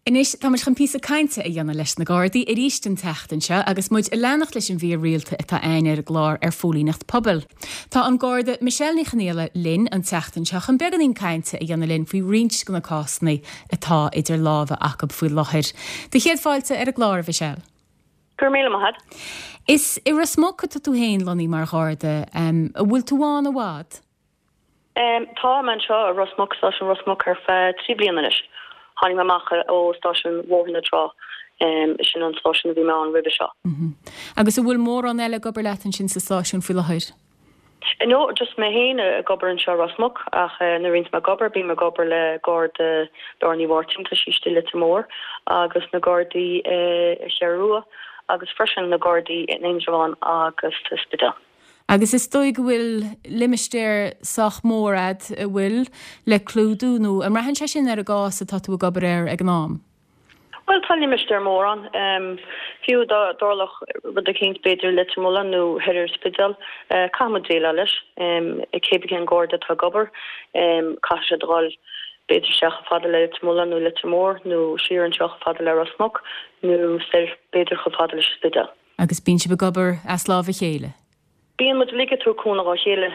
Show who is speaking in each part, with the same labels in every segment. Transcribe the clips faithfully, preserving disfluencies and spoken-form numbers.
Speaker 1: Anois tá muid chun píosa cainte a dhéanamh leis na Gardaí arís an tseachtain seo agus muid ag leanacht leis an mhír rialta atá againn ar an gclár ar phóilíneacht pobail. Tá an Garda Michelle Ní Chonghaile linn an tseachtain seo chun beagáinín cainte a dhéanamh linn faoi roinnt de na cásanna atá idir lámha acu faoi láthair. Do chéad fáilte ar an gclár Michelle.
Speaker 2: Gur míle maith.
Speaker 1: Is i Ros Muc atá tú féin lonnaithe mar Gharda um, an bhfuil tú ann i bhfad?
Speaker 2: Um, tá mé anseo i Ros Muc stáisiún Ros Muc ar feadh trí bliana anois. Tháinig mé amach ó stáisiún Bhóthar na Trá um, sin an stáisiún a bhí mé ann roimhe seo.
Speaker 1: Mm -hmm. Agus an bhfuil mórán eile ag obair leat ansin sa stáisiún faoi láthair?
Speaker 2: No, just mé féin ag obair anseo Ros Muc ach uh, nuair bhíonn mé ag obair bím ag obair le Garda Laura Ní Mháirtín tá sí i Leitir Móir agus na Gardaí uh, Cheathrú Rua agus freisin na Gardaí in Indreabhán agus Spidéal.
Speaker 1: Agus is dóigh go bhfuil limistéar sách mór agat a bhfuil le clúdú nó an mbraitheann sé sin ar an gcás atá tú ag obair air ag an am.
Speaker 2: Well tá limistéar mór ann um, fiú dá dtarlódh rud éicint b'fhéidir Leitir Mealláin nó thoir ar Spidéal uh, caithfimid déileáil leis um, cébí cén Garda atá ag obair um, caithfidh siad dul b'fhéidir isteach fada le Leitir Mealláin nó Leitir Móir nó siar anseo fada le Ros Muc nó b'fhéidir chomh fada leis Spidéal.
Speaker 1: Agus bíonn sibh ag obair as lámh a chéile.
Speaker 2: Bíonn muid ag tabhairt cúnamh dá chéile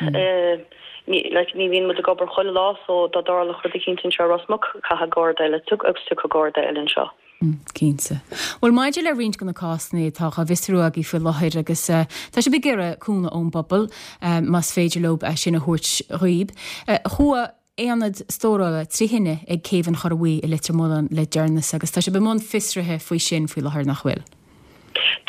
Speaker 2: ní bhíonn muid ag obair chuile lá so dá dtarlódh rud éicint anseo Ros Muc caithfidh Garda eile tu agus tu Garda eile anseo.
Speaker 1: Cinnte. Well maidir le roinnt de na cásanna atá á bhfiosrú agaibh faoi láthair agus uh, tá sibh ag iarraidh cúnamh ón bpobal uh, más féidir leo é sin a thabhairt dhaoibh. Uh, Chuaigh aonad stórála trí thine ag céibh an Chora Bhuí i Leitir Mealláin le deireanas agus tá sibh i mbun fiosraithe faoi sin faoi láthair nach bhfuil.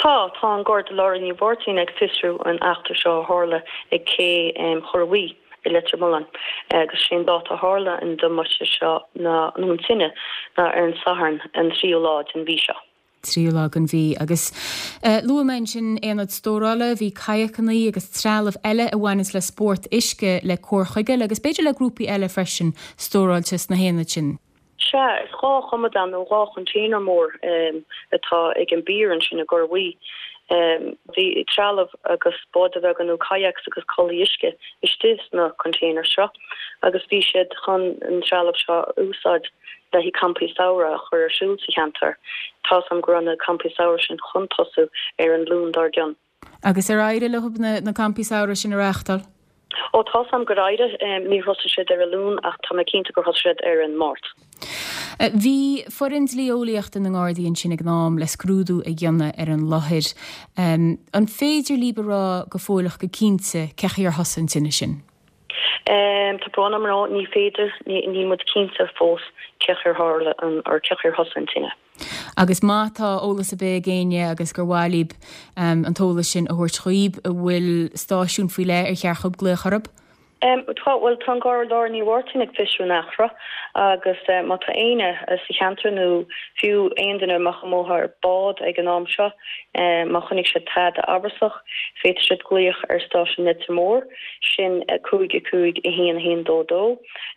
Speaker 2: Tá tá an Garda Laura Ní Mháirtín ag fiosrú an eachtra seo a tharla ag cé um, Chora Bhuí i Leitir Mealláin agus sé an dáta a tharla an damáiste seo na nó an tine ná ar an Satharn an tríú lá den mhí seo.
Speaker 1: tríú lá den mhí agus uh, luaigh mé sin aonad stórála bhí kayakanna agus trealamh eile a bhaineann le spórt uisce le cur chuige agus b'fhéidir le grúpaí eile freisin stóráilte sna haonaid sin.
Speaker 2: Sea is dhá chomadán nó dhá container mór um, atá ag an bpiar ansin i gCora Bhuí. Um, bhí trealamh agus báid bheaga nó kayaks agus culaith uisce istigh sna container seo agus bhí siad chun an trealamh seo úsáid le haghaidh campaí samhraidh a chur ar siúl sa cheantar. Tá am go na campaí samhraidh sin chun tosú ar an Luan dár gcionn.
Speaker 1: Agus ar éirigh leo na, na campaí samhraidh sin a reáchtáil?
Speaker 2: Ó tá am gur éirigh um, ní thosaigh siad ar an Luan ach tá mé cinnte gur thosaigh siad ar an Máirt.
Speaker 1: Bhí foireann dlí-eolaíochta na nGardaí ansin ag an am le scrúdú a dhéanamh ar an láthair. Um, an féidir libh a rá go fóilleach go cinnte cén chaoi ar thosaigh an tine sin?
Speaker 2: Um, tá brón orm rá ní féidir níl muid cinnte fós cén chaoi ar tharla an ar cén chaoi ar thosaigh an tine.
Speaker 1: Agus má tá eolas ar bith ag éinne agus gur mhaith libh um, an t-eolas sin a thabhairt chugaibh an bhfuil stáisiún faoi leith ar cheart dóibh glaoch orthu?
Speaker 2: Um, tá well tá Garda Laura Ní Mháirtín ag fiosrú an eachtra agus uh, má tá éinne uh, sa cheantar nó fiú aon duine amach amuigh ar bád ag an am seo um, má chonaic siad tada amhrasach féadfaidh siad glaoch ar stáisiún Leitir Móir sin uh, cúig a cúig a haon haon dó dó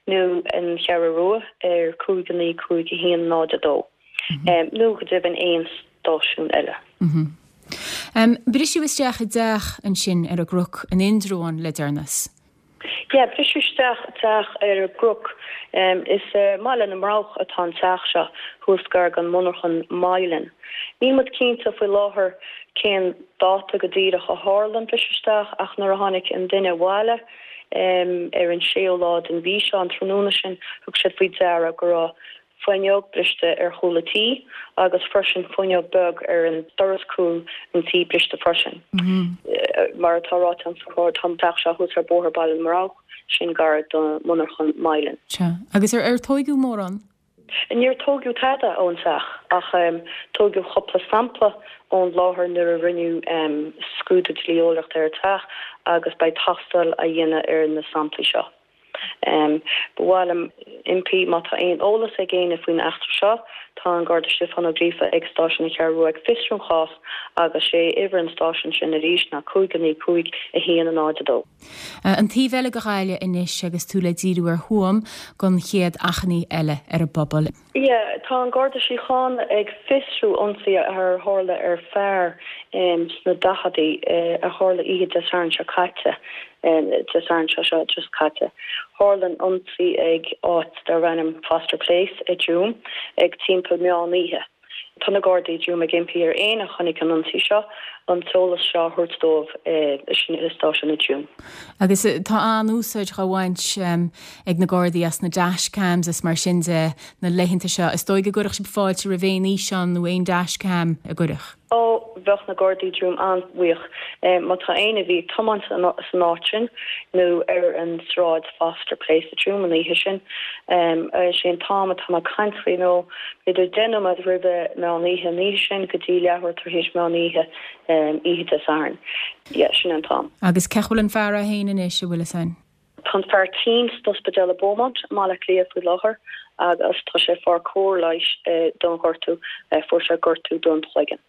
Speaker 2: nó an Cheathrú Rua ar cúig naoi cúig a haon náid a dó. Mm -hmm. um, nó go deimhin aon stáisiún eile.
Speaker 1: Mm -hmm. Um, Briseadh isteach i dteach ansin ar an gCnoc in Indreabhán le deireanas.
Speaker 2: Ja, briseadh isteach teach ar an gCnoc um, is uh, Baile na mBroghach atá an teach seo thuas gar don monarcha Mylan. Níl muid cinnte faoi láthair cén dáta go díreach a tharla an briseadh isteach ach nuair a tháinig an duine abhaile um, ar an séú lá den mhí seo an tráthnóna sin thug siad faoi deara go raibh fuinneog briste ar chúl an tí agus freisin fuinneog beag ar an doras cúil an tí briste freisin.
Speaker 1: Mm -hmm.
Speaker 2: uh, mar atá ráite an tá an teach seo thuas ar bóthar Baile na mBroghach sin gar do monarcha Mylan.
Speaker 1: Sea. Agus ar ar tógadh mórán?
Speaker 2: Níor tógadh tada ón teach ach um, tógadh cúpla sampla ón láthair nuair a rinneadh um, scrúdú dlí-eolaíochta ar an teach agus beidh tástáil á dhéanamh ar na samplaí seo. Um, Ba mhaith liom impí má tá aon eolas ag éinne faoin eachtra seo, tá an Garda Stiofán Ó Gríofa ag stáisiún na Ceathrún Rua ag fiosrú an chás agus sé uimhir an stáisiún sin arís ná cúig naoi cúig a haon náid a dó.
Speaker 1: An taobh eile de Ghaillimh anois agus tú le díriú ar Thuaim don chéad achainí eile ar an bpobal.
Speaker 2: Yeah, tá an Garda Síochána ag fiosrú ionsaí a tharla ar fear um, sna daicheadaí uh, a tharla oíche Dé Sathairn seo caite. Dé Sathairn seo seo just caite. Tharla an ionsaí ag áit darb ainm Foster Place i dTuaim ag timpeall meán oíche. Tá na Gardaí i dTuaim ag impí ar éinne a chonaic an ionsaí seo an t-eolas seo a thabhairt dóibh sin i stáisiún i dTuaim.
Speaker 1: Agus tá an-úsáid á bhaint ag na Gardaí as na dashcams is mar sin de na laethanta seo. Is dóigh go gcuirfeadh sibh fáilte roimh aon fhíseán nó aon dashcam a gcuirfeadh.
Speaker 2: Ó, bheadh na Gardaí i dTuaim an-bhuíoch má tá éinne a bhí ag tiomáint san áit sin nó ar an sráid Foster Place i dTuaim an oíche sin. Is é an t-am atá mé ag caint faoi nó b'fhéidir deich nóiméad roimhe meán oíche an oíche sin go dtí leathuair tar éis meán oíche oíche Dé Sathairn. Yeah, sin an t-am.
Speaker 1: Agus cén chaoi a bhfuil an fear é féin anois, an bhfuil fhios a'inn?
Speaker 2: Tá an fear tinn san ospidéal i Beaumont i mBaile Átha Cliath faoi láthair agus tá sé ag fáil cóir leighis don ghortú, fuair sé gortú don chloigeann.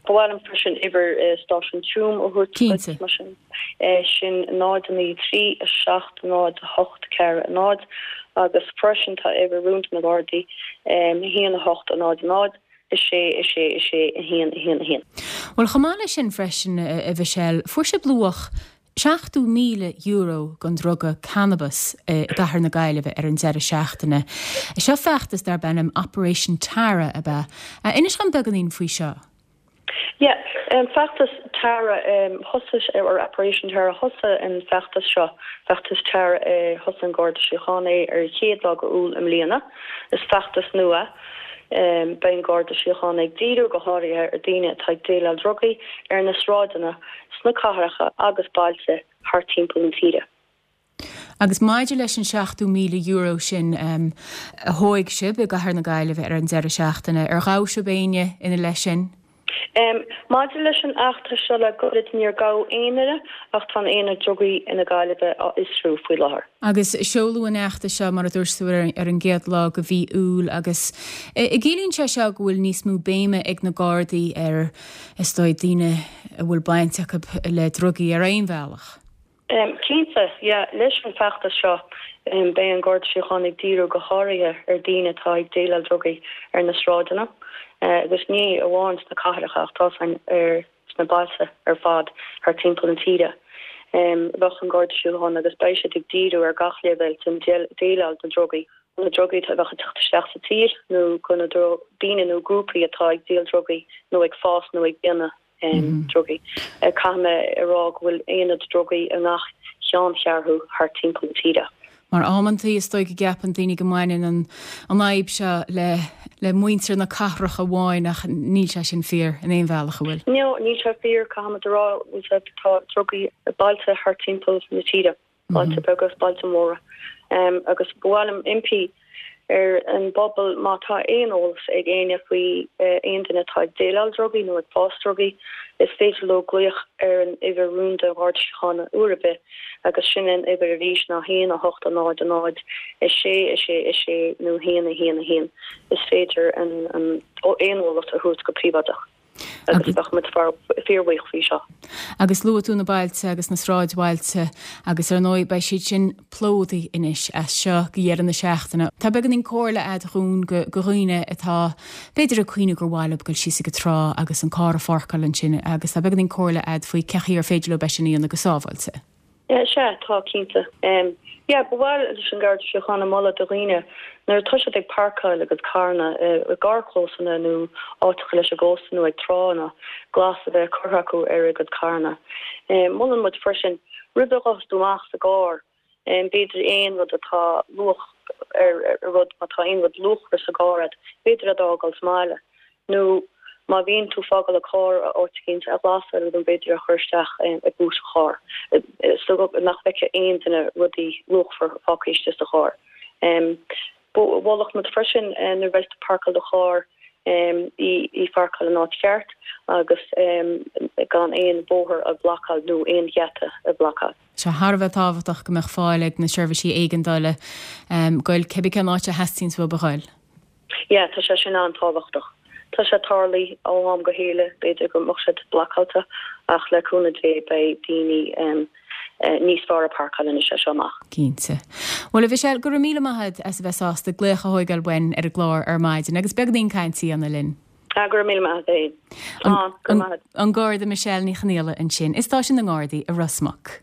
Speaker 2: Ba mhaith liom freisin uimhir stáisiún Tuaim a thabhairt duit mar sin. Sin náid naoi trí a seacht náid a hocht ceathair a náid agus freisin tá uimhir rúnda na Gardaí a haon a hocht a náid a náid a sé a sé a sé a haon a haon a haon.
Speaker 1: Bhuel chomh maith leis sin freisin a Mhichelle, fuair sibh luach seachtó míle euro den druga cannabas i gcathair na Gaillimhe ar an deireadh seachtaine. Seo feachtas darb ainm Operation Tara ab ea. Inis dom beagáinín faoi seo.
Speaker 2: Yeah, um, feachtas Tara um, thosaigh ar Operation Tara thosaigh an feachtas seo feachtas Tara uh, thosaigh an Garda Síochána é ar chéad lá d'Iúil i mbliana. Is feachtas nua. Um, beidh an Garda Síochána ag díriú go háirithe ar daoine atá ag déileáil drugaí ar na sráideanna sna cathracha agus bailte thar timpeall na tíre.
Speaker 1: Agus maidir leis an seachtó míle euro sin um, a thóig sibh i gcathair na Gaillimhe ar an deireadh seachtaine, ar ghabh sibh éinne ina leith sin?
Speaker 2: Um, maidir leis an eachtra seo le gairid níor gabhadh aon duine ach tá an aonad drugaí ina Gaillimhe á fhiosrú faoi láthair.
Speaker 1: Agus seoladh an fheachtas seo mar a dúirt tú ar, ar an gcéad lá de mhí Iúil agus i gciallaíonn sé seo go bhfuil níos mó béime ag na Gardaí ar is dóigh daoine a bhfuil baint acu le drugaí ar aon bhealach.
Speaker 2: Um, Cinnte, yeah, leis an feachtas seo um, beidh an Garda Síochána ag díriú go háirithe ar daoine atá ag déileáil drugaí ar na sráideanna. Uh, agus ní amháin sna cathracha ach tá san ar sna bailte ar fad thar timpeall na tíre. Um, bheadh an Garda Síochána agus beidh siad ag díriú ar gach leibhéal den déileáil na drugaí. Na drugaí a bheadh ag teacht isteach sa tír nó go na daoine nó grúpaí atá ag díol drugaí nó ag fás nó ag déanamh um, drugaí. Uh, Caithfidh mé a rá go bhfuil aonad drugaí i ngach ceanncheathrú thar timpeall na tíre.
Speaker 1: Mar amantaí is dóigh go gceapann daoine go mbaineann an an fhadhb seo le le muintir na cathrach amháin ach níl sé sin fíor in aon bhealach an bhfuil.
Speaker 2: No, níl sé fíor caithfidh mé a rá bhfuil tá drugaí i bailte thar timpeall na tíre, bailte beaga agus bailte móra. Um, agus ba mhaith liom impí ar an bpobal má tá aon eolas ag éinne faoi uh, aon duine atá ag déileáil drugaí nó ag fás drugaí, is féidir leo glaoch ar an uimhir rúnda Gharda Síochána uair ar bith agus sin an uimhir arís ná haon a hocht a náid a náid a sé a sé a sé nó haon a haon a haon is féidir an an aon eolas a thabhairt go príobháideach. agus bheadh muid fíorbhuíoch faoi seo.
Speaker 1: Agus luaigh tú na bailte agus na sráidbhailte agus ar ndóigh beidh siad sin plódaithe anois as seo go deireadh na seachtaine. Tá beagáinín comhairle agat dúinn go go dhaoine atá b'fhéidir ag cuimhneamh gur mhaith leo dul síos ag an trá agus an carr a pháirceáil ansin agus tá beagáinín comhairle agat faoi cén chaoi ar féidir leo é sin a dhéanamh go sábháilte.
Speaker 2: Sea tá cinnte. Um, yeah, ba mhaith leis an Garda Síochána moladh do dhaoine nuair atá siad ag páirceáil a gcuid carranna i gcarrchlósanna nó áiteacha leis an gcósta nó ag tránna glas a bheith curtha acu ar a gcuid carranna. Um, Molann muid freisin roimh a ghabhas tú amach sa gcarr um, b'fhéidir aon rud atá luach ar ar rud má tá aon rud luachmhar sa gcarr agat, b'fhéidir é a fhágáil sa mbaile. Nó má bhíonn tú ag fágáil an carr áit éicint a ghlas nó b'fhéidir a chur isteach i boot an chairr. So nach bhfeicfidh aon duine rudaí luachmhar fágtha istigh sa charr. Um, Mholfadh muid freisin nuair a bheas tú ag páirceáil do charr um, í í pháirceáil in áit cheart agus um, gan aon bóthar a bhlocáil nó aon gheata a bhlocáil.
Speaker 1: Sé thar a bheith tábhachtach go mbeadh fáil ag na seirbhísí éigeandála um, goil cibé cén áit a theastaíonn uathu a ghoil.
Speaker 2: Ja, tá sé sin an-tábhachtach. Tá sé tarlaithe ó am go chéile b'fhéidir go mbeadh siad blocáilte ach le cúnamh Dé beidh daoine um, uh, níos fearr ag páirceáil anois as seo amach.
Speaker 1: Cinnte. Well a Mhichelle go raibh míle maith agat as a bheith sásta glaoch a thógáil uainn ar an gclár ar maidin agus beagáinín cainte a dhéanamh linn.
Speaker 2: Ah, go raibh míle maith agat.
Speaker 1: An Garda Michelle Ní Chonaola ansin i stáisiún na nGardaí i Ros Muc.